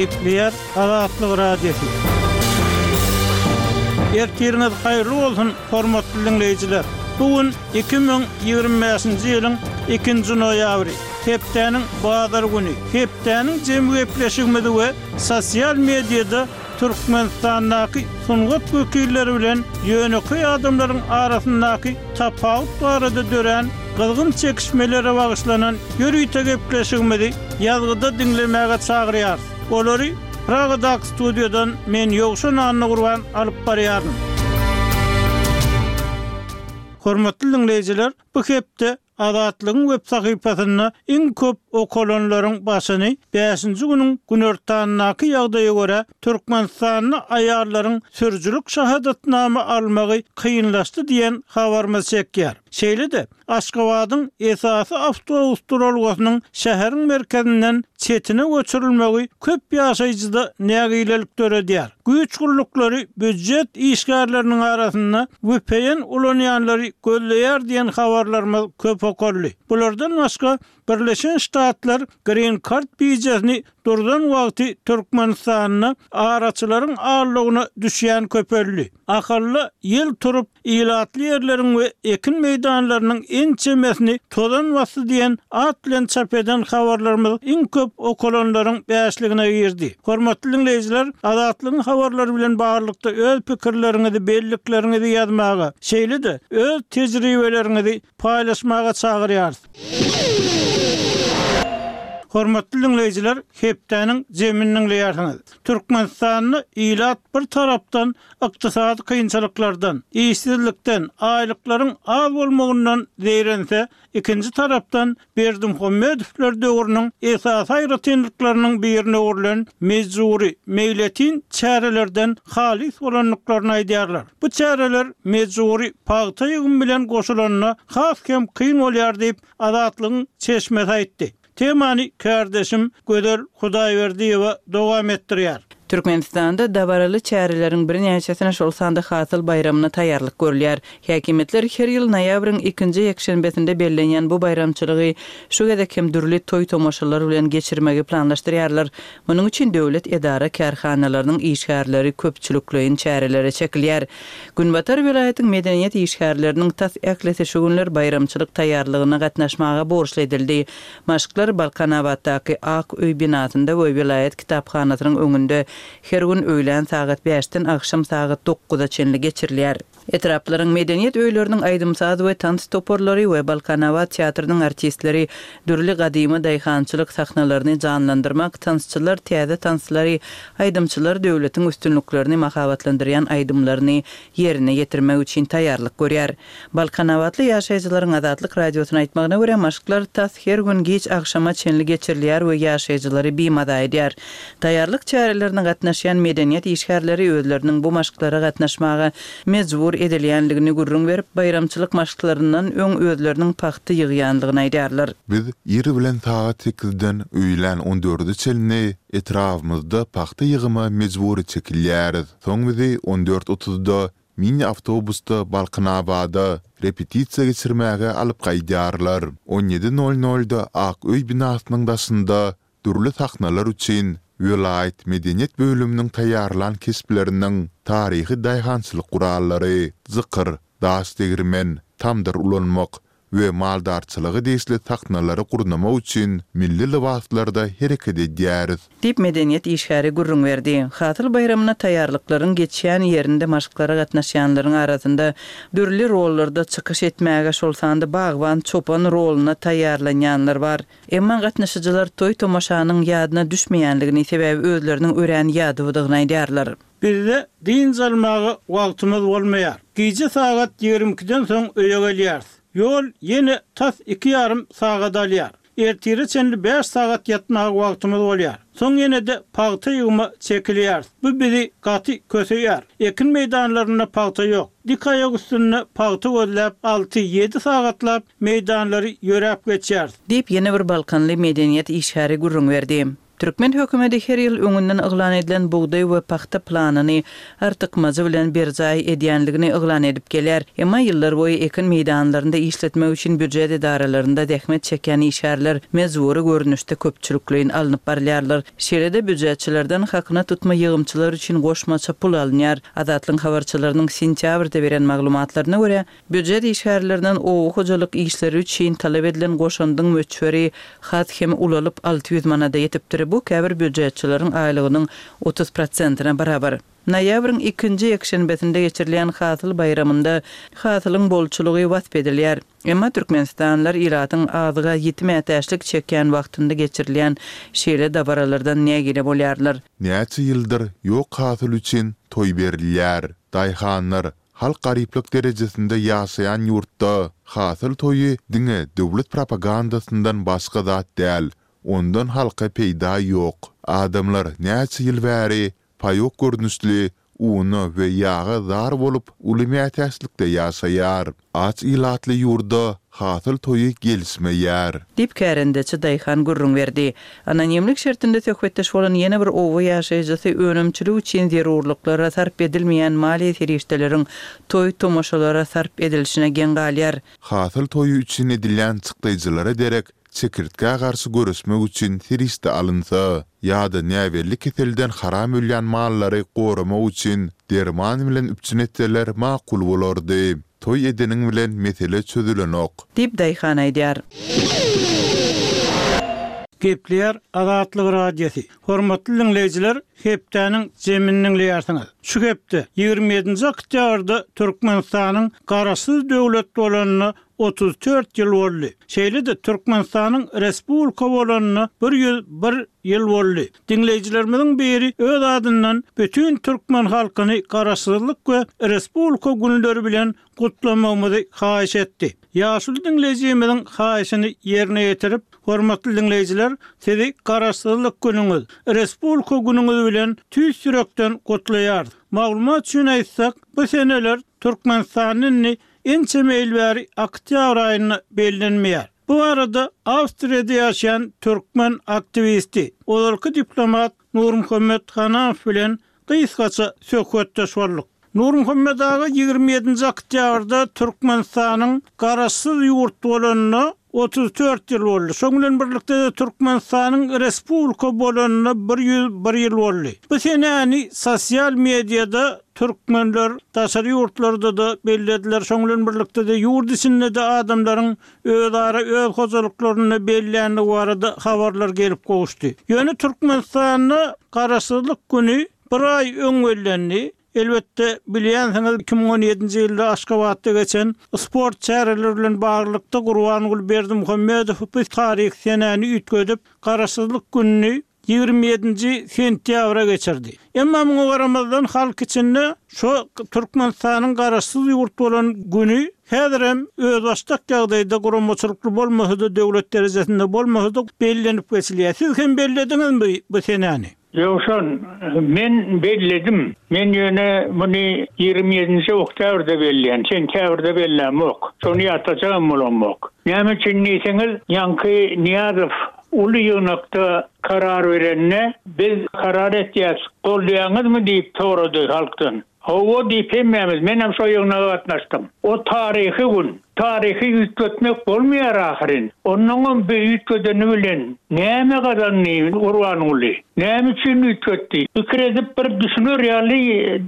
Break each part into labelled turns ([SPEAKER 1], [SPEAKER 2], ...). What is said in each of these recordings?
[SPEAKER 1] Gepleýär Azatlyk Radiosy. Ertiriňiz haýyrly bolsun, hormatly diňleýjiler! Bu gün 2025-nji ýylyň ikinji noýabry, hepdäniň bazar güni. Hepdäniň jemi gepleşigimizi we sosial mediada Türkmenistandaky sungat wekilleri bilen ýönekeý adamlaryň arasyndaky tapawut barada dörän gyzgyn çekişmelere bagyşlanan ýörite gepleşigimizi ýazgyda diňlemäge çagyrýarys. Olary Pragadaky studiýadan men Ýowşan Annagurban alyp barýaryn. Hormatly diňleýjiler, bu hepde Azatlygyň web sahypasynda iň köp okalanlaryň başyny bäşinji günüň günortandaky ýagdaýa görä, Türkmenistanda aýallaryň sürüjilik şahadatnama almagy kynlaşdy diýen habarymyz çekýär. Şeýle-de, Aşgabadyň esasy awtobus duralgasynyň şäheriň merkezinden çetine göçürilmegi köp ýaşaýjyda nägilelik döredýär. Güýç gulluklary býujet işgärleriniň arasynda vpn ulanýanlary gözleýär diýen habarlarymyz köp okaldy. Bulardan başga, Birleşen Ştatlar Green Card bijesini durzan wagty Türkmenistanda araçylaryň aldawyna düşýän köpeldi. Ahalda ýel turup, ilatly ýerleriň we ekin meýdanlarynyň ençemesini tozan basdy diýen at bilen çap eden habarlarymyz iň köp okalanlaryň bäşligine girdi. Hormatly diňleýjiler, Azatlygyň habarlary bilen baglylykda öz pikirleriňizi, bellikleriňizi ýazmaga, şeýle-de öz tejribeleriňizi paýlaşmaga çagyrýarys. Hormatly diňleýjiler, hepdäniň jemini diňleýärsiňiz. Türkmenistanda ilat bir tarapdan ykdysady kynçylyklardan, işsizlikden, aýlyklaryň az bolmagyndan zeýrense, ikinji tarapdan Berdimuhamedowlar döwrüniň esasy aýratynlyklarynyň birine öwrülen mejbury, meýletin çärelerden halys bolandyklaryny aýdýarlar. Bu çäreler mejbury pagta ýygymy bilen goşulanda has hem kyn bolýar diýip, Azatlygyň çeşmesi aýtdy. Temany kärdeşim Gözel Hudaýberdiýewa dowam etdirýär.
[SPEAKER 2] Türkmenistanda dabaraly çäreleriň birnäçesine, şol sanda Hasyl baýramyna taýýarlyk görülýär. Häkimiýetler her ýyl noýabryň ikinji ýekşenbesinde bellenýän bu baýramçylygy şu gezek hem dürli toý-tomaşalar bilen geçirmegi planlaşdyrýarlar. Munuň üçin döwlet edara-kärhanalarynyň işgärleri köpçülikleýin çärelere çekilýär. Günbatar welaýatyň medeniýet işgärleriniň tas ählisi şu günler baýramçylyk taýýarlygyna gatnaşmaga borçly edildi. Maşklar Balkanabatdaky Ak öý binasynda we welaýat kitaphanasynyň öňünde her gün öýlän sagat bäşden agşam sagat dokuza çenli geçirilýär. Etraplaryň medeniýet öýleriniň aýdym-saz we tans toparlary we Balkanabat teatrynyň artistleri dürli gadymy daýhançylyk sahnalaryny janlandyrmak, tansçylar täze tanslary, aýdymçylar döwletiň üstünliklerini mahabatlandyrýan aýdymlaryny ýerine ýetirmek üçin taýýarlyk görýär. Balkanabatly ýaşaýjylaryň Azatlyk Radiosyna aýtmagyna görä, maşklar tas her gün giç agşama çenli geçirilýär we ýaşaýjylary bimaza edýär. Taýýarlyk çärelerine gatnaşýan medeniýet işgärleri özleriniň bu maşklara gatnaşmaga mejbur edilýändigini gürrüň berip, baýramçylyk maşklaryndan öň özleriniň pagta ýygýandygyny aýdýarlar.
[SPEAKER 3] Biz ir bilen sagat sekizden öýlän on dörde çenli etrabymyzda pagta ýygyma mejbury çekilýäris. Soň bizi on dört otuzda Mini awtobusda Balkanabada repetisiýa geçirmäge alyp gaýdýarlar. On ýedi nol nolda Ak öý binasynyň daşynda dürli sahnalar üçin welaýat medeniýet bölüminiň taýýarlan keşpleriniň taryhy daýhançylyk gurallary, jykyr, daş degirmen, tamdyr ulanmak we maldarçylyga degişli sahnalary gurnamak üçin milli lybaslarda hereket edýäris.
[SPEAKER 2] Diýip, medeniýet işgäri gürrüň berdi. Hasyl baýramyna taýýarlyklaryň geçýän ýerinde maşklara gatnaşýanlaryň arasynda dürli rollarda çykyş etmäge, şol sanda bagban, çopan roluna taýýarlanýanlar bar. Emma gatnaşyjylar toý-tomaşanyň ýadyna düşmeýänligini, sebäbi özleriniň örän ýadawdygyny aýdýarlar.
[SPEAKER 1] Bizde dynç almaga wagtymyz bolmaýar. Gije sagat 22-den soň öýe gelýäris. Ýol ýene tas iki ýarym sagat alýar. Ertire çenli bäş sagat ýatmaga wagtymyz bolýar. Soň ýene-de pagta ýygyma çekilýäris. Bu bizi gaty köseýär. Ekin meýdanlarynda pagta ýok. Dik aýak üstünde pagta gözläp alty, ýedi sagatlap meýdanlary ýöräp geçýäris.
[SPEAKER 2] Diýip, ýene bir balkanly medeniýet işgäri gürrüň berdi. Türkmen hökümeti her ýyl öňünden yglan edilen bugdaý we pagta planyny artykmajy bilen berjaý edýänligini yglan edip gelýär. Emma ýyllarboýy ekin meýdanlarynda işletmek üçin býujet edaralarynda zähmet çekýän işgärler mejbury görnüşde köpçülikleýin alnyp barylýarlar. Şeýle-de býujetçilerden hakyna tutma ýygymçylar üçin goşmaça pul alynýar. Azatlygyň habarçylarynyň sentýabrda beren maglumatlaryna görä, Býujet işgärlerinden oba hojalyk işleri üçin talap edilen goşandyň möçberi has hem ulalyp, 600 manada ýetipdir. Bu käbir býujetçileriň aýlygynyň 30 prosentine barabar. Noýabryň ikinji ýekşenbesinde geçirilýän Hasyl baýramynda hasylyň bolçulygy wasp edilýär. Emma türkmenistanlylar ilatyň azyga ýiti mätäçlik çekýän wagtynda geçirilýän şeýle dabaralardan nägile bolýarlar.
[SPEAKER 3] Näçe ýyldyr ýok hasyl üçin toý berilýär. Daýhanlar Halk garyplyk derejesinde ýaşaýan ýurtda hasyl toýy diňe döwlet propagandasyndan başga zat däl, ondan halka peýda ýok. Adamlar näçe ýyl bäri paýok görnüşli una we ýaga zar bolup uly mätäçlikde ýaşaýar. Aç ilatly ýurda hasyl toýy gelişmeýär.
[SPEAKER 2] Diýip, kärendeçi daýhan gürrüň berdi. Anonimlik şertinde söhbetdeş bolan ýene bir oba ýaşaýjysy önümçilik üçin zerurlyklara sarp edilmeýän maliýe serişdeleriň toý-tomaşalara sarp edilişine geň galýar.
[SPEAKER 3] Hasyl toýy üçin edilýän çykdaýjylara derek çekirtgä garşy göreşmek üçin serişde alynsa, ýa-da näbelli keselden haram ölýän mallary goramak üçin derman bilen üpjün etseler makul bolardy. Toý edeniň bilen mesele çözülenok.
[SPEAKER 2] Diýip, daýhan aýdýar.
[SPEAKER 1] Gepleýär Azatlyk Radiosy. Hormatly diňleýjiler, hepdäniň jemini diňleýärsiňiz. Şu hepde, 27-nji oktýabrda Türkmenistanyň Garaşsyz döwlet bolanyna 34 ýyl boldy. Şeýle-de Türkmenistanyň Respublika bolanyna 101 ýyl boldy. Diňleýjilerimiziň biri öz adyndan bütin türkmen halkyny Garaşsyzlyk we Respublika günleri bilen gutlamagymyzy haýyş etdi. Ýaşuly diňleýjimiziň haýyşyny ýerine ýetirip, hormatly diňleýjiler, sizi Garaşsyzlyk günüňiz, Respublika günüňiz bilen tüýs ýürekden gutlaýarys. Maglumat üçin aýtsak, bu seneler Türkmenistanda indi ençeme ýyl bäri oktýabr aýynda bellenmeýär. Bu barada Awstriýada ýaşaýan türkmen aktiwisti, ozalky diplomat Nurmuhammet Hanamow bilen gysgaça söhbetdeş bolduk. Nurmuhammet aga 27-nji oktýabrda Türkmenistanyň Garaşsyz ýurt bolanyna 34 ýyl boldy. Şoň bilen birlikde-de Türkmenistanyň Respublika bolanyna 101 ýyl boldy. Bu senäni sosial mediada türkmenler daşary ýurtlarda-da bellediler. Şoň bilen birlikde-de ýurt içinde-de adamlaryň özara öz hojalyklarynda belländigi barada habarlar gelip gowuşdy. Ýöne Türkmenistanda Garaşsyzlyk güni bir aý öň bellendi. Elbetde, bilýänsiňiz, 2017-nji ýylda Aşgabatda geçen sport çäreleri bilen baglylykda Gurbanguly Berdimuhamedow bu taryhy senäni üýtgedip, Garaşsyzlyk gününi 27-nji sentýabra geçirdi. Emma muňa garamazdan halk içinde şo Türkmenistanyň garaşsyz ýurt bolan güni häzirem özbaşdak ýagdaýda guramaçylykly bolmasa-da döwlet derejesinde bolmasa-da bellenip geçilýär. Siz hem bellediňizmi bu senäni?
[SPEAKER 4] Ýowşan, men belledim. Men ýöne muny 27-nji oktýabrda belleýän, sentýabrda bellämok. Şony ýatlajagam bolamok. Näme üçin diýseňiz, ýaňky Nyýazow uly ýygnakda karar berende, biz karar etýäs, goldaýaňyzmy diýip sorady halkdan. Hawa diýip hemmämiz, menem şo ýygnaga gatnaşdym. O taryhy gün. Taryhy üýtgetmek bolmaýar ahyryn. Onnoňam bu üýtgedeni bilen näme gazandy Gurbanguly? Näme üçin üýtgetdi? Pikir edip bir düşüner ýaly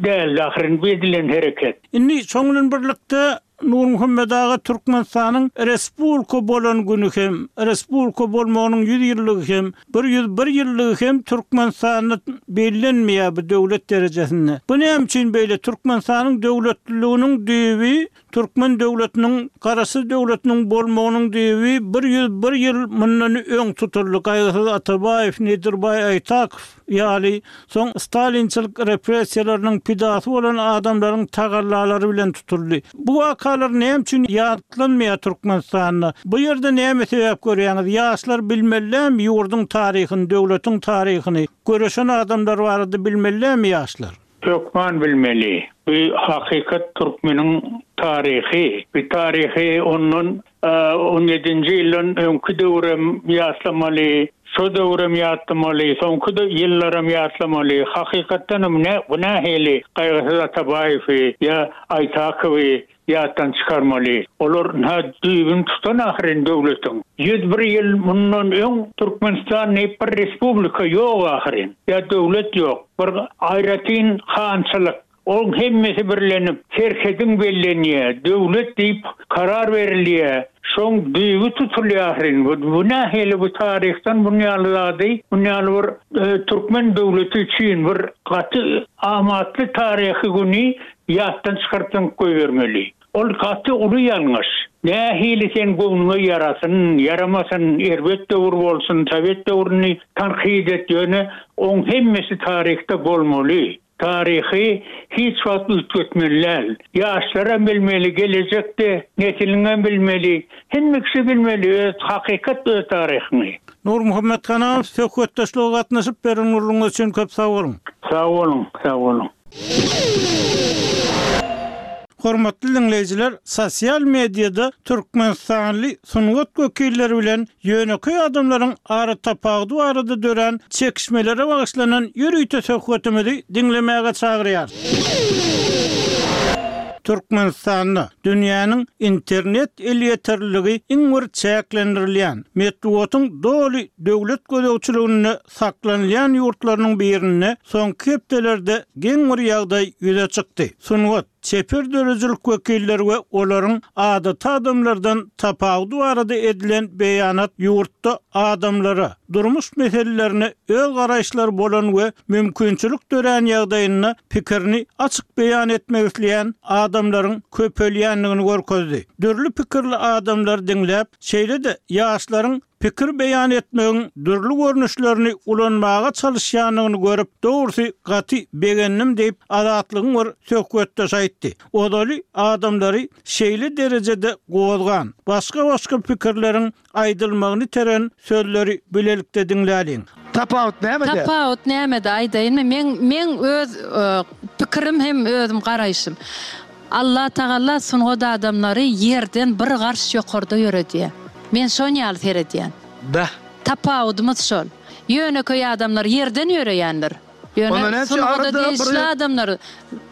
[SPEAKER 4] däldi ahyryn bu edilen hereket.
[SPEAKER 1] Indi şoň bilen birlikde Nurmuhammet aga Türkmenistanyň Respublika bolan güni hem, Respublika bolmagynyň ýüz ýyllygy hem, 101 ýyllygy hem Türkmenistanda bellenmeýär bu döwlet derejesinde. Bu näme üçin beýle? Türkmenistanyň döwletliliginiň düýbi Türkmen döwletiniň Garaşsyz döwletiniň bolmagynyň düýbi 101 ýyl mundan öň tutuldy. Gaýgysyz Atabaýew, Nedirbaý Aýtakow ýaly soň stalinçilik repressiýalarynyň pidasy bolan adamlaryň tagallalary bilen tutuldy. Bu wakalar näme üçin ýatlanmaýar Türkmenistanda? Bu ýerde näme sebäp görýäňiz? Ýaşlar bilmelilämi ýurduň taryhyny, döwletiň taryhyny? Göreşen adamlar barada bilmelilämi ýaşlar?
[SPEAKER 4] Hökman bilmeli. Bu hakykat türkmeniň taryhy. Bu taryhy ondan on ýedinji ýyldan öňki döwrem ýatlamaly, şo döwrem ýatlamaly, soňky ýyllaram ýatlamaly. Hakykatdanam bu nähili Gaýgysyz Atabaýewi ýa Aýtakowy ýatdan çykarmaly. Olar ynha düýbüni tutan ahyryn döwletiň. 101 ýyl mundan öň Türkmenistan diýip bir respublika ýok ahyryn. Ýa döwlet ýok. Bir aýratyn hançylyk. Oň hemmesi birlenip, serhediň bellenýä, döwlet diýip karar berilýä. Şoň düýbi tutulýar ahyryn. Bu bu nähili bu taryhdan bun ýaly zady, bun ýaly bir türkmen döwleti üçin bir gaty amatly taryhy güni Ýatdan çykaryp zyňyp goýbermeli. Ol gaty uly ýalňyş. Nähili sen göwnüňe ýarasyn, ýaramasyn, erbet döwür bolsun, sowet döwrüni tankyt et, ýöne oň hemmesi taryhda bolmaly. Taryhy hiç wagt üýtgetmeli däl. Ýaşlaram bilmeli, gelejekde nesiliňem bilmeli, hemme kişi bilmeli öz hakykat öz taryhyňy.
[SPEAKER 1] Nurmuhammet Ganamow söhbetdeşlige gatnaşyp beren gürrüňiňiz üçin köp sag boluň.
[SPEAKER 4] Sag boluň, sag boluň.
[SPEAKER 1] Hormatly diňleýjiler, sosial mediada türkmenistanly sungat wekilleri bilen ýönekeý adamlaryň aratapawudy barada dörän çekişmelere bagyşlanan ýörite söhbetimizi diňlemäge çagyrýarys. Türkmenistanda dünýäniň internet elýeterliligi iň bir çäklendirilýän, metbugatyň doly döwlet gözegçiliginde saklanylýan ýurtlarynyň birinde soňky hepdelerde geň bir ýagdaý ýüze çykdy. Sungat, çeper döredijilik wekilleri we olaryň adaty adamlardan tapawudy barada edilen beýanat ýurtda adamlara, durmuş meselelerine öz garaýyşlary bolan we mümkinçilik dörän ýagdaýynda pikirini açyk beýan etmek isleýän adamlaryň köpelýändigini görkezdi. Dürli pikirli adamlary diňläp, şeýle-de ýaşlaryň pikir beýan etmegiň dürli görnüşlerini ulanmaga çalyşýandygyny görüp, dogrusy, gaty begendim diýip, Azatlygyň bir söhbetdeşi aýtdy. Ozaly adamlary şeýle derejede gozgan, başga-başga pikirleriň aýdylmagyny iteren sözleri bilelikde diňläliň.
[SPEAKER 5] Tapawut nämede?
[SPEAKER 6] Tapawut nämede aýdaýynmy? Meň meň öz pikirim hem özüm garaýşym. Allah Tagala sungat adamlary ýerden bir garş ýokarda ýöredýär. Men şon ýaly seredýän.
[SPEAKER 5] Bäh.
[SPEAKER 6] Tapawudymyz şol. Ýönekeý adamlar ýerden ýöreýändir.
[SPEAKER 5] Onda
[SPEAKER 6] Ýöne
[SPEAKER 5] näme üçin
[SPEAKER 6] sungada
[SPEAKER 5] arada bir
[SPEAKER 6] degişli adamlar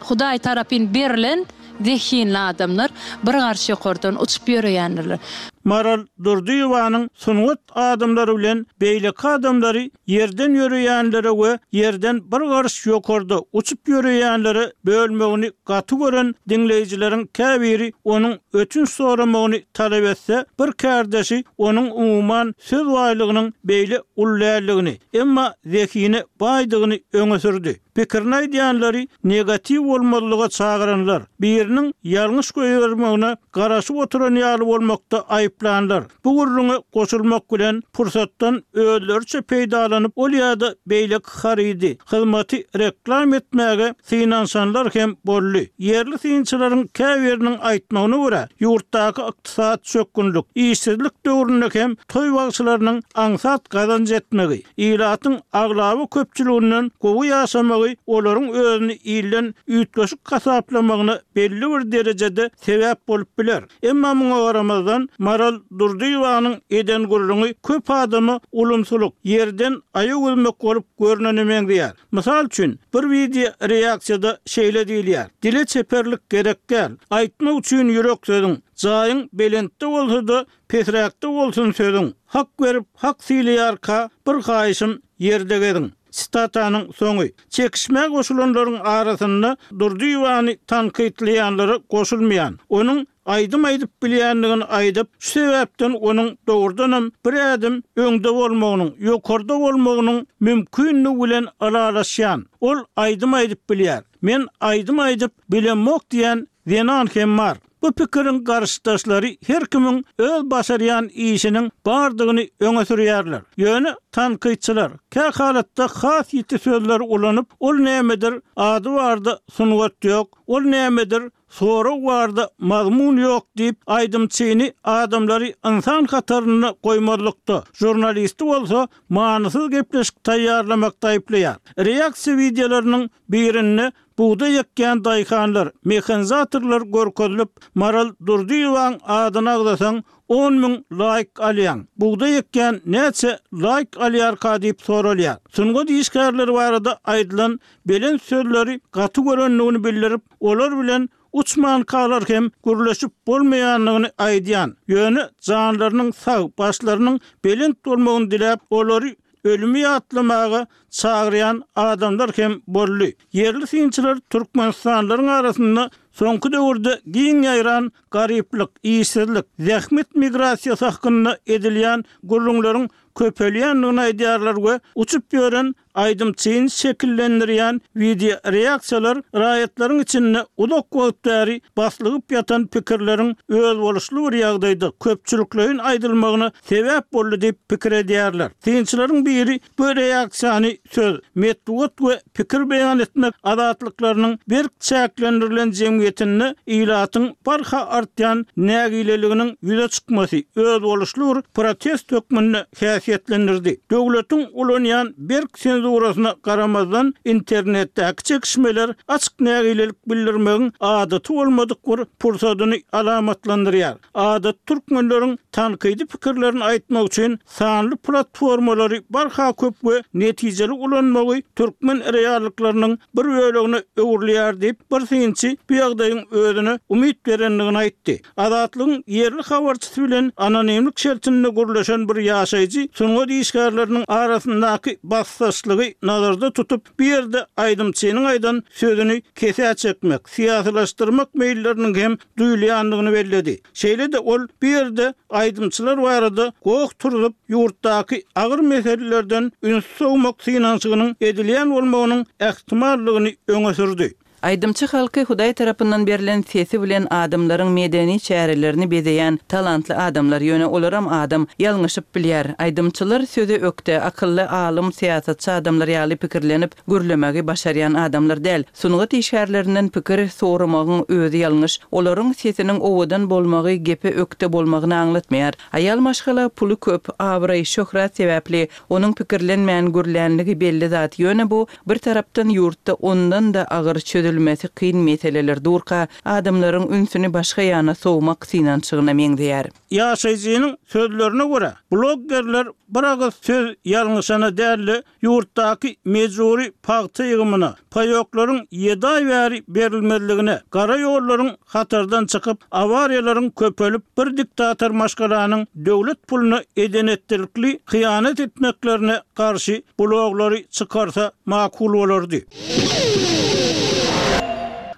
[SPEAKER 6] Hudaý tarapyn berlen zehinli adamlar bir garş ýokardan uçup ýöreýändirler.
[SPEAKER 1] Maral Durdyýewanyň sungat adamlary bilen beýleki adamlary ýerden ýöreýänlere we ýerden bir garyş ýokarda uçup ýöreýänlere bölmegini gaty gören diňleýjileriň käbiri onuň ötünç soramagyny talap etse, bir kärdeşi onuň umuman söz baýlygynyň beýle uly däldigini, emma zehine baýdygyny öňe sürdi. Pikirini aýdýanlary negatiw bolmazlyga çagyranlar, biriniň ýalňyş goýbermegine garaşyp oturan ýaly bolmakda aýyplanlar, bu gürrüňe goşulmak bilen pursatdan özleriçe peýdalanyp ol ýa-da beýleki harydy, hyzmaty reklam etmäge synanyşanlar hem boldy. Ýerli synçylaryň käbiriniň aýtmagyna görä, ýurtdaky ykdysady çökgünlik, işsizlik döwründe hem toý bagşylarynyň aňsat gazanç etmegi, Ilatyň aglaba köpçüliginden gowy ýaşamagy olaryň özüni ilden üýtgeşik hasaplamagyna belli bir derejede sebäp bolup biler. Emma muňa garamazdan, Maral Durdyýewanyň eden gürrüňi köp adama ulumsylyk, ýerden aýak üzmek bolup görnene meňzeýär. Mysal üçin, bir wideo reaksiýada şeýle diýilýär, Dile çeperlik gerek däl. Aýtmak üçin ýürek sözüň. Jaýyň belentde bolsa-da, Pesräkde bolsun sözüň. Hak berip, hak sylaýarka, bir haýyşym, ýerde geziň. Sitatanyň soňy. Çekişmä goşulanlaryň arasynda Durdyýewany tankytlaýanlara goşulmaýan, onuň aýdym aýdyp bilýändigini aýdyp, şu sebäpden onuň dogrudanam bir ädim öňde bolmagynyň, ýokarda bolmagynyň mümkindigi bilen ylalaşýan, ol aýdym aýdyp bilýär, men aýdym aýdyp bilemok diýen zenan hem bar. Bu pikiriň garşydaşlary her kimiň öz başarýan işiniň bardygyny öňe sürýärler. Ýöne tankytçylar kä halatda has ýiti sözleri ulanyp, ol nämedir, ady barda sungat ýok, ol nämedir, sorag barda mazmun ýok diýip, aýdymçyny adamlary ynsan hatarynda goýmazlykda, žurnalisti bolsa manysyz gepleşik taýýarlamakda aýyplaýar. Reaksiýa wideolarynyň birinde. Bugdaý ekýän daýhanlar, mehanizatorlar görkezilip, Maral Durdyýewaň adyny agzasaň, 10,000 laýk alýaň. Bugdaý ekýän näçe laýk alýarka diýip soralýar. Sungat işgärleri barada aýdylan belent sözleri gaty görendigini bildirip, olar bilen uçmankalar hem gürleşip bolmaýandygyny aýdýan, ýöne janlarynyň sag, başlarynyň belent bolmagyny diläp, olary ölümi ýatlamaga çagyrýan adamlar hem boldy. Ýerli synçylar türkmenistanlylaryň arasynda soňky döwürde giň ýaýran garyplyk, işsizlik, zähmet migrasiýasy hakynda edilýän gürrüňleriň köpelýändigini aýdýarlar we uçup ýören aýdymçyny şekillendirýän wideoreaksiýalar raýatlaryň içinde uzak wagt bäri baslygyp ýatan pikirleriň özboluşly bir ýagdaýda köpçülikleýin aýdylmagyna sebäp boldy diýip pikir edýärler. Synçylaryň biri bu reaksiýany söz, metbugat we pikir beýan etmek azatlyklarynyň berk çäklendirilen jemgyýetinde ilatyň barha artýan nägileliginiň ýüze çykmasy özboluşly bir protest hökmünde häsiýetlendirdi. Döwletiň ulanýan berk senzurasyna garamazdan, internetdäki çekişmeler açyk nägilelik bildirmegiň adaty bolmadyk bir pursadyny alamatlandyrýar. Adaty türkmenleriň tankydy pikirlerini aýtmak üçin sanly platformalary barha köp we netijeli ulanmagy türkmen reallyklarynyň bir bölegine öwrülýär diýip, bir synçy bu ýagdaýyň özüne umyt berendigini aýtdy. Azatlygyň ýerli habarçysy bilen anonimlik şertinde gürleşen bir ýaşaýjy sungat işgärleriniň arasyndaky basdaşlygy nazarda tutup, bu ýerde aýdymçynyň aýdan sözüni kesä çekmek, syýasylaşdyrmak meýilleriniň hem duýulýandygyny belledi. Şeýle-de ol bu ýerde aýdymçylar barada goh turzup, ýurtdaky agyr meselelerden ünsi sowmak synanyşygynyň edilýän bolmagynyň ähtimallygyny öňe sürdi.
[SPEAKER 2] Aýdymçy halky Hudaý tarapyndan berlen sesi bilen adamlaryň medeni çärelerini bezeýän talantly adamlar, ýöne olaram adam, ýalňyşyp bilýär. Aýdymçylar söze ökde, akylly, alym, syýasatçy adamlar ýaly pikirlenip, gürlemegi başarýan adamlar däl. Sungat işgärlerinden pikir soramagyň özi ýalňyş. Olaryň sesiniň owadan bolmagy gepe ökde bolmagyny aňlatmaýar. Aýal maşgala puly köp, abraý, şöhrat sebäpli onuň pikirlenmän gürlänligi belli zat, ýöne bu, bir tarapdan ýurtda ondan-da agyr çözülmesi kyn meseleler durka, adamlaryň ünsüni başga ýana sowmak synanyşygyna meňzeýär.
[SPEAKER 1] Ýaşaýjynyň sözlerine görä, bloggerler bir agyz söz ýalňyşana däl-de, ýurtdaky mejbury pagta ýygymyna, paýoklaryň ýedi aý bäri berilmezligine, gara ýollaryň hatardan çykyp, awariýalaryň köpelip, bir diktator maşgalanyň döwlet puluna eden-etdilikli hyýanat etmeklerine garşy bloglary çykarsa makul bolardy.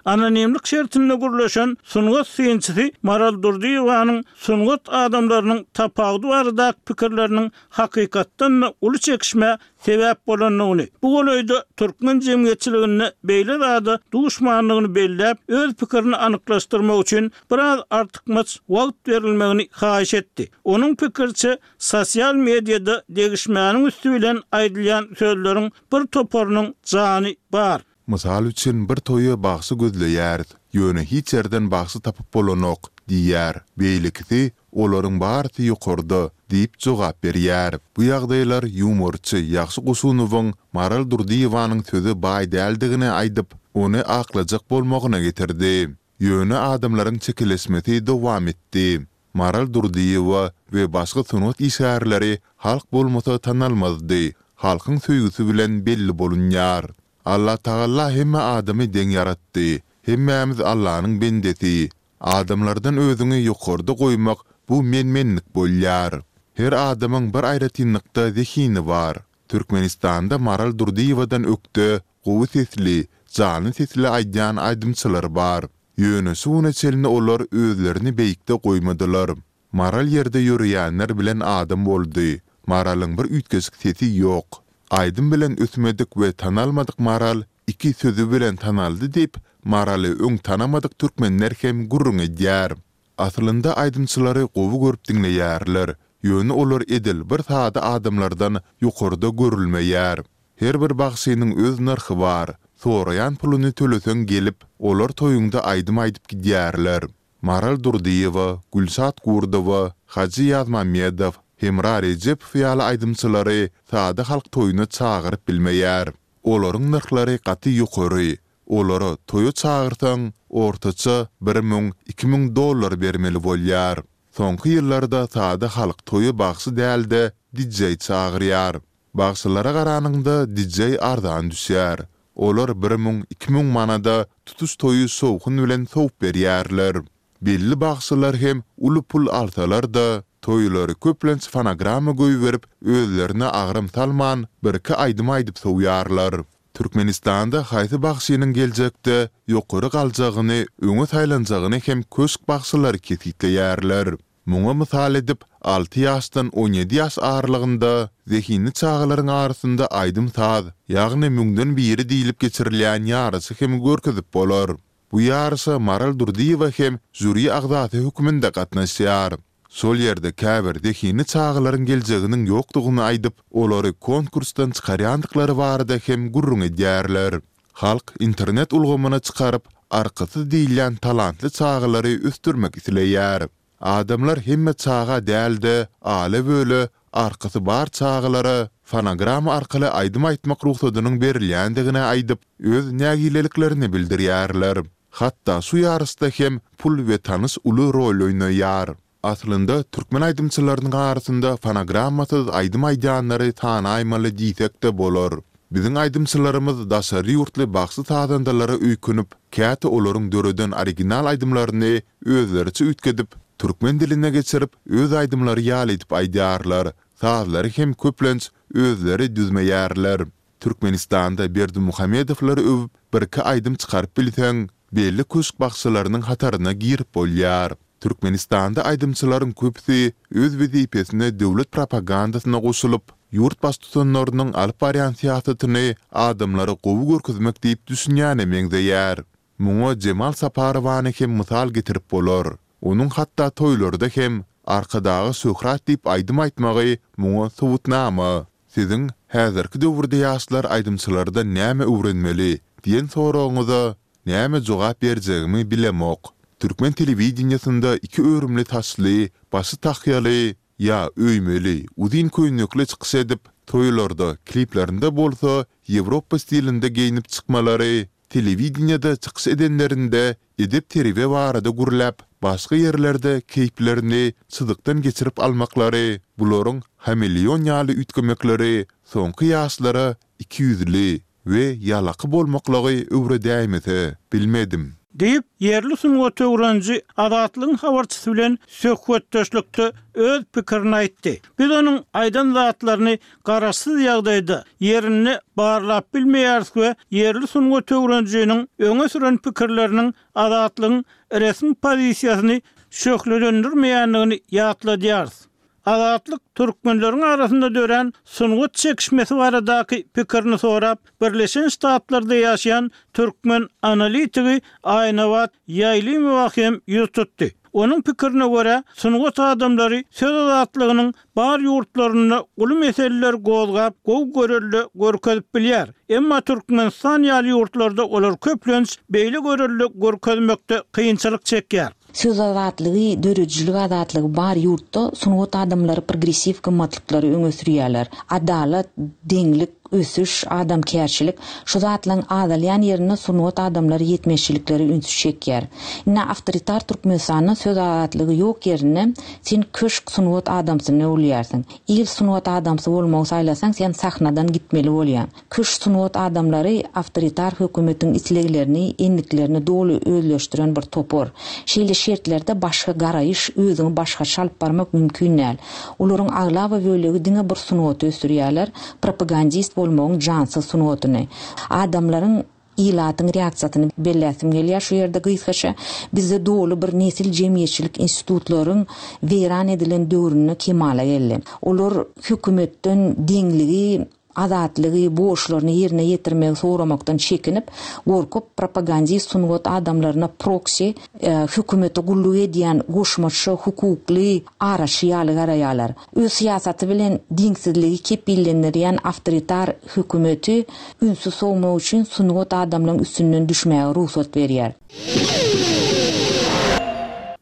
[SPEAKER 1] Anonimlik şertinde gürleşen sungat synçysy Maral Durdyýewanyň sungat adamlarynyň tapawudy baradaky pikirleriniň hakykatdan-da uly çekişmä sebäp bolandygyny, bu golaýda türkmen jemgyýetçiliginde beýle zada duşmandygyny belläp, öz pikirini anyklaşdyrmak üçin biraz artykmaç wagt berilmegini haýyş etdi. Onuň pikiriçe, sosial mediada degişmäniň üsti bilen aýdylýan sözleriň bir toparynyň jany bar.
[SPEAKER 3] Mysal üçin, bir toýa bagşy gözleýäris, ýöne hiç ýerden bagşy tapyp bolanok, diýýär. Beýlekisi, Olaryň barysy ýokarda, diýip jogap berýär. Bu ýagdaýlar ýumorçy Ýagşy Goşunowyň Maral Durdyýewanyň söze baý däldigini aýdyp, ony aklajak bolmagyna getirdi. Ýöne adamlaryň çekeleşmesi dowam etdi. Maral Durdyýewa we başga sungat işgärleri halk bolmasa tanalmazdy. Halkyň söýgüsi bilen belli bolunýar. Allatagalla hemme adamy deň ýaratdy. Hemmämiz Allanyň bendesi. Adamlardan özüňi ýokarda goýmak bu men-menlik bolýar. Her adamyň bir aýratynlykda zehini bar. Türkmenistanda Maral Durdyýewadan ökde, gowy sesli, janly sesli aýdýan aýdymçylar bar. Ýöne şu güne çenli olar özlerini beýikde goýmadylar. Maral ýerde ýöreýänler bilen adam boldy. Maralyň bir üýtgeşik sesi ýok. Aýdym bilen ösmedik we tanalmadyk Maral iki sözi bilen tanaldy diýip, Maraly öň tanamadyk türkmenler hem gürrüň edýär. Aslynda aýdymçylary gowy görüp diňleýärler, ýöne olar edil bir sada adamlardan ýokarda görülmeýär. Her bir bagşynyň öz nyrhy bar. Soraýan puluny töleseň gelip, olar toýuňda aýdym aýdyp gidýärler. Maral Durdyýewa, Gülşat Gurdowa, Hajy Ýazmammedow, Hemra Rejepow ýaly aýdymçylary sada halk toýuna çagyryp bilmeýär. Olaryň nyrhlary gaty ýokary. Olara toýa çagyrsaň, ortaça 1000, 2000 dollar bermeli bolýar. Soňky ýyllarda sada halk toýa bagşy däl-de, DJ çagyrýar. Bagşylara garanyňda DJ arzan düşýär. Olar 1000, 2000 manada tutuş toýy şowhun bilen sowup berýärler. Belli bagşylar hem uly pul alsalar-da, toýlary köplenç fonogramma goýberip, özlerine agram salman, birki aýdym aýdyp sowýarlar. Türkmenistanda haýsy bagşynyň geljekde ýokary galjagyny, öňe saýlanjagyny hem köşk bagşylary kesgitleýärler. Muňa mysal edip, alty ýaşdan 17 ýaş aralygynda zehinli çagalaryň arasynda aýdym-saz, ýagny Müňden biri diýlip geçirilýän ýaryşy hem görkezip bolar. Bu ýaryşa Maral Durdyýewa hem žýuri agzasy hökmünde gatnaşýar. Şol ýerde käbir zehinli çagalaryň geljeginiň ýokdugyny aýdyp, olary konkursdan çykarýandyklary barada hem gürrüň edýärler. Halk internet ulgamyna çykaryp, arkasyz diýilýän talantly çagalary ösdürmek isleýär. Adamlar hemme çaga däl-de, ale-böle arkasy bar çagalara fonogramma arkaly aýdym aýtmak rugsadynyň berilýändigini aýdyp, öz nägileliklerini bildirýärler. Hatda şu ýaryşda hem pul we tanyş uly rol oýnaýar. Aslynda, türkmen aýdymçylarynyň arasynda fonogrammasyz aýdym aýdýanlary sanaýmaly diýsek-de bolar. Biziň aýdymçylarymyz daşary ýurtly bagşy-sazandalara öýkünip, käte olaryň döreden original aýdymlaryny özleriçe üýtgedip, türkmen diline geçirip, öz aýdymlary ýaly edip aýdýarlar, sazlary hem köplenç özleri düzmeýärler. Türkmenistanda Berdimuhamedowlary öwüp birki aýdym çykaryp bilseň, belli köşk bagşylarynyň hataryna girip bolýar. Türkmenistanda aýdymçylaryň köpüsi öz wezipesine döwlet propagandasyna goşulyp, ýurt baştutanlarynyň alyp barýan syýasatyny adamlara gowy görkezmek diýip düşünýäne meňzeýär. Muňa Jemal Saparowany hem mysal getirip bolar. Onuň hatda toýlarda hem Arkadaga şöhrat diýip aýdym aýtmagy muňa subutnama. Siziň, Häzirki döwürde ýaşlar aýdymçylardan näme öwrenmeli? diýen soragyňyza näme jogap berjegimi bilemok. Türkmen telewideniýesinde iki örümli saçly, başy tahýaly, ýa öýmeli, uzyn köýnekli çykyş edip, toýlarda, kliplerinde bolsa ýewropa stilinde geýnip çykmalary, Telewideniýede çykyş edenlerinde edep-terbiýe barada gürläp, başga ýerlerde keýplerini çyzykdan geçirip almaklary, bularyň hameleon ýaly üýtgemekleri soňky ýaşlara ikiýüzli we ýalaky bolmaklygy öwredäýmese, bilmedim.
[SPEAKER 1] Diýip, ýerli sungat öwreniji Azatlygyň habarçysy bilen söhbetdeşlikde öz pikirini aýtdy. Biz onuň aýdan zatlaryny garaşsyz ýagdaýda, ýerinde barlap bilmeýäris we ýerli sungat öwrenijiniň öňe süren pikirleriniň Azatlygyň resmi pozisiýasyny şöhlelendirmeýändigini ýatladýarys. Azatlyk türkmenleriň arasynda dörän sungat çekişmesi baradaky pikirini sorap, Birleşen Ştatlarda ýaşaýan türkmen analitigi Aýnabat Ýaýlymowa hem ýüz tutdy. Onuň pikirine görä, sungat adamlary söz azatlygynyň bar ýurtlarynda uly meseleleri gozgap, gowy görelde görkezip bilýär. Emma Türkmenistan ýaly ýurtlarda olar köplenç beýle görelde görkezmekde kynçylyk çekýär.
[SPEAKER 5] Söz azatlygy, döredijilik azatlygy bar ýurtda sungat adamlary progressiw gymmatlyklary öňe sürýärler. Adalat, deňlik, ösüş, adamkärçilik, şu zatlaryň azalýan ýerinde sungat adamlary ýetmezçiliklere ünsi çekýär. Indi awtoritar Türkmenistanda söz azatlygy ýok ýerinde sen köşk sungat adamsyna öwrülýärsiň. Il sungat adamsy bolmagy saýlasaň sen sahnadan gitmeli bolýaň. Köşk sungat adamlary awtoritar hökümetiň isleglerini, endiklerini doly özleşdiren bir topar. Şeýle şertlerde başga garaýyş, özüňi başgaça alyp barmak mümkin däl. Olaryň aglaba bölegi diňe bir sungaty ösdürýärler, propagandist bolmagyň jansyz sungatyny. Adamlaryň, ilatyň reaksiýasyny belläsim gelýär şu ýerde gysgaça. Bizde doly bir nesil jemgyýetçilik institutlaryň weýran edilen döwründe kemala geldi. Olar hökümetden deňligi, azatlygy, borçlaryny ýerine ýetirmegi soramakdan çekinip, gorkup, propagandist sungat adamlaryna proksi, hökümete gulluk edýän goşmaça hukukly araçy ýaly garaýarlar. Öz syýasaty bilen deňsizligi kepillendirýän awtoritar hökümeti ünsi sowmak üçin sungat adamlaryň üstünden düşmäge rugsat berýär.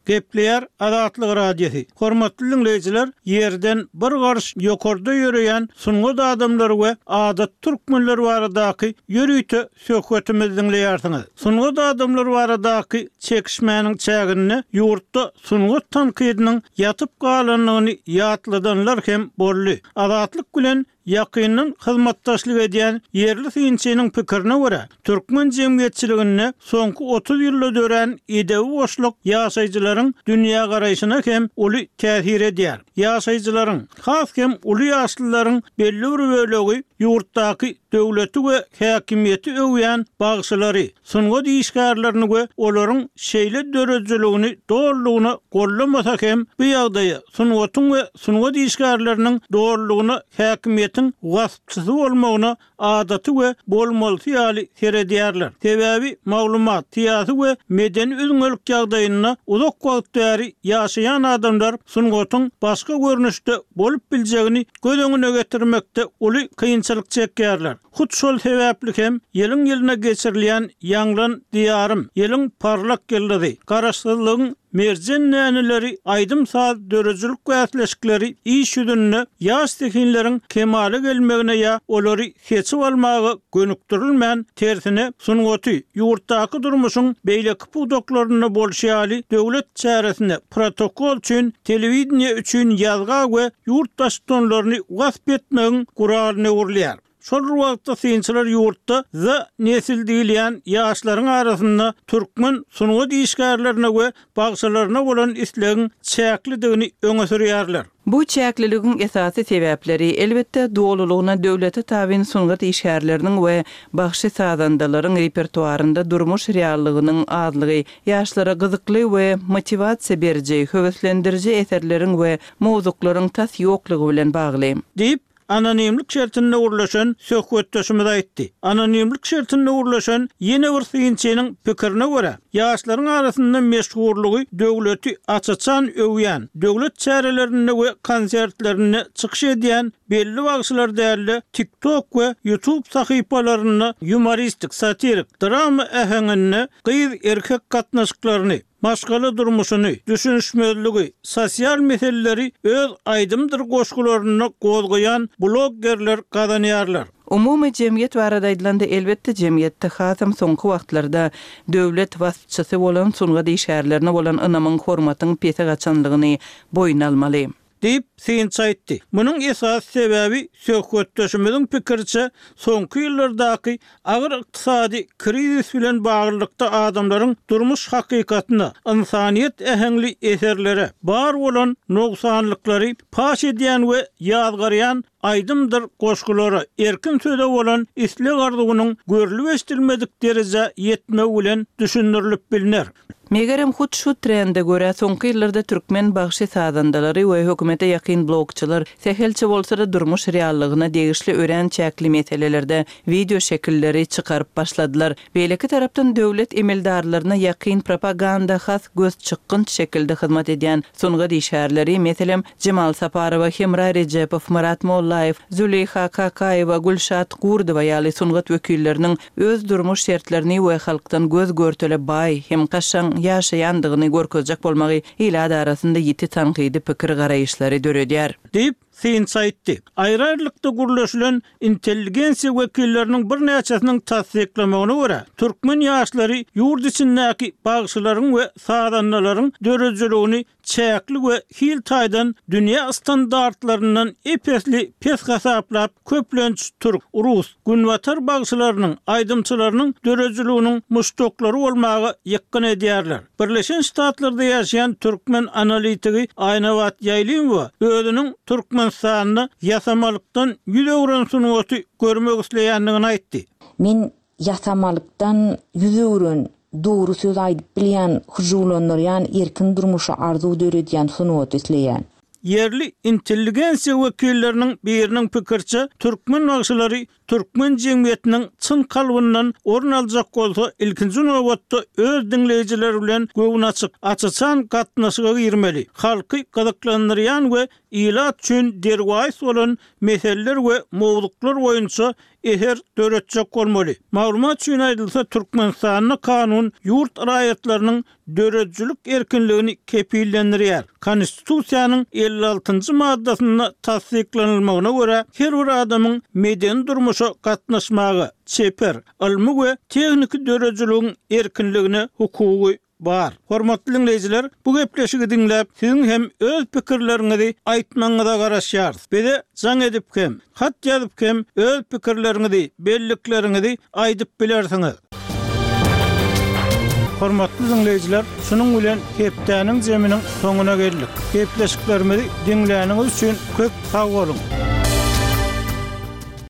[SPEAKER 1] Gepleýär Azatlyk Radiosy. Hormatly diňleýjiler, ýerden bir garyş ýokarda ýöreýän sungat adamlary we adaty türkmenler baradaky ýörite söhbetimizi diňleýärsiňiz. Sungat adamlary baradaky çekişmäniň çäginde ýurtda sungat tankydynyň ýatyp galandygyny ýatladanlar hem boldy. Azatlyk bilen Ýakyndan hyzmatdaşlyk edýän ýerli synçynyň pikirine görä, türkmen jemgyýetçiliginde soňky 30 ýylda dörän edebi boşluk ýaşaýjylaryň dünýägaraýşyna hem uly täsir edýär. Ýaşaýjylaryň, has hem uly ýaşlylaryň belli bir bölegi ýurtdaky döwleti we häkimiýeti öwýän bagşylary, sungat işgärlerini we olaryň şeýle döredijiligini dolulygyna gollamasa hem, bu ýagdaýa sungatyň we sungat işgärleriniň dolulygyna häkimiýetiň waspçysy bolmagyna adaty we bolmalysy ýaly seredýärler. Sebäbi maglumat, syýasy we medeni üzňelik ýagdaýynda uzak wagt bäri ýaşaýan adamlar sungatyň başga görnüşde bolup biljegini göz öňüne getirmekde uly kynçylyk çekýärler. Hut şol sebäpli hem ýylyň-ýylyna geçirilýän Ýaňlan, Diýarym, Ýylyň parlak ýyldyzy, Garaşsyzlygyň merjen däneleri aýdym-saz döredijilik bäsleşikleri iş ýüzünde ýaş zehinleriň kemala gelmegine ýa olary seçip almaga gönükdirilmän, tersine, sungaty ýurtdaky durmuşyň beýleki pudaklarynda bolşy ýaly döwlet çäresine, protokol üçin, telewideniýe üçin ýazga we ýurt baştutanlaryny wasp etmegiň guralyna öwrülýär. Şol bir wagtda synçylar ýurtda Z-nesil diýilýän ýaşlaryň arasynda türkmen sungat işgärlerine we bagşylaryna bolan islegiň çäklidigini öňe sürýärler.
[SPEAKER 2] Bu çäkliligiň esasy sebäpleri, elbetde, dolulygyna döwlete tabyn sungat işgärleriniň we bagşy-sazandalaryň repertuarynda durmuş reallygynyň azlygy, ýaşlara gyzykly we motiwasiýa beriji, höweslendiriji eserleriň we mowzuklaryň tas ýoklugy bilen bagly.
[SPEAKER 1] Diýip, Anonimlik şertinde gürleşen söhbetdeşimiz aýtdy. Anonimlik şertinde gürleşen ýene bir synçynyň pikirine görä, ýaşlaryň arasynda meşhurlygy döwleti aç-açan öwýän, döwlet çärelerinde we konsertlerinde çykyş edýän belli bagşylar däl-de, TikTok we YouTube sahypalarynda ýumoristik, satirik, drama äheňinde gyz-erkek gatnaşyklaryny, maşgala durmuşyny, düşünişmezligi, sosial meseleleri öz aýdymdyr goşgularynda gozgaýan bloggerler gazanýarlar.
[SPEAKER 2] Umumy jemgyýet barada aýdylanda, elbetde, jemgyýetde hasam soňky wagtlarda döwlet waspçysy bolan sungat işgärlerine bolan ynamyň, hormatyň pese gaçanlygyny boýun almaly.
[SPEAKER 1] Diýip, synçy aýtdy. Munuň esasy sebäbi, söhbetdeşimiziň pikiriçe, soňky ýyllardaky agyr ykdysady krizis bilen baglylykda adamlaryň durmuş hakykatyna, ynsanyýet äheňli eserlere, bar bolan nogsanlyklary paş edýän we ýazgarýan aýdymdyr goşgulara, erkin söze bolan isleg-arzuwynyň görlüp-eşidilmedik derejä ýetmegi bilen düşündirilip bilner.
[SPEAKER 2] Megerem, hut şu trende görä, soňky ýyllarda türkmen bagşy-sazandalary we hökümete ýakyn blogçylar sähelçe bolsa-da durmuş reallygyna degişli örän çäkli meselelerde wideo şekilleri çykaryp başladylar. Beýleki tarapdan, döwlet emeldarlaryna ýakyn propaganda has gözçykgynç şekilde hyzmat edýän sungat işgärleri, meselem, Jemal Saparowa, Hemra Rejepow, Myrat Mollaýew, Züleýha Kakaýewa, Gülşat Gurdowa ýaly sungat wekilleriniň öz durmuş şertlerini we halkdan göz-görtele baý hem kaşaň ýaşaýandygyny görkezjek bolmagy ilat arasynda ýiti tankydy pikir-garaýyşlary döredýär.
[SPEAKER 1] Diýip, synçy aýtdy. Aýry-aýrylykda gürleşilen intelligensiýa wekilleriniň birnäçesiniň tassyklamagyna görä, türkmen ýaşlary ýurt içindäki bagşylaryň we sazandalaryň döredijiligini çäkli we hil taýdan dünýä standartlaryndan ep-esli pes hasaplap, köplenç türk, rus, günbatar bagşylarynyň, aýdymçylarynyň döredijiliginiň muşdaklary bolmaga ýykgyn edýärler. Birleşen Ştatlarda ýaşaýan türkmen analitigi Aýnabat Ýaýlymowa özüniň Türkmenistanda ýasamalykdan ýüz öwren sungaty görmek isleýändigini aýtdy.
[SPEAKER 5] Men Ýasamalykdan ýüz öwren, dogry söz aýdyp bilýän, hyjuwlandyrýan, erkin durmuşa arzuw döredýän sungaty isleýän.
[SPEAKER 1] Ýerli intelligensiýa wekilleriniň biriniň pikiriçe, türkmen bagşylary türkmen jemgyýetiniň çyn kalbyndan orun aljak bolsa, ilkinji nobatda öz diňleýjileri bilen göwnaçyk, aç-açan gatnaşyga girmeli, halky gyzyklandyrýan we ilat üçin derwaýys bolan meseleler we mowzuklar boýunça. Eser döretjek bolmaly. Maglumat üçin aýdylsa, Türkmenistanda kanun ýurt raýatlarynyň döredijilik erkinligini kepillendirýär. Konstitusiýanyň 56-njy maddasynda tassyklanylmagyna görä, her bir adamyň medeni durmuşa gatnaşmaga, çeper, ylmy we tehniki döredijiligiň erkinligine hukugy bar. Hormatly diňleýjiler, bu gepleşigi diňläp, siziň hem öz pikirleriňizi aýtmagyňyza garaşýarys. Bize jaň edip hem, hat ýazyp hem öz pikirleriňizi, bellikleriňizi aýdyp bilersiňiz. Hormatly diňleýjiler, şunuň bilen hepdäniň jeminiň soňuna geldik. Gepleşiklerimizi diňläniňiz üçin köp sag boluň!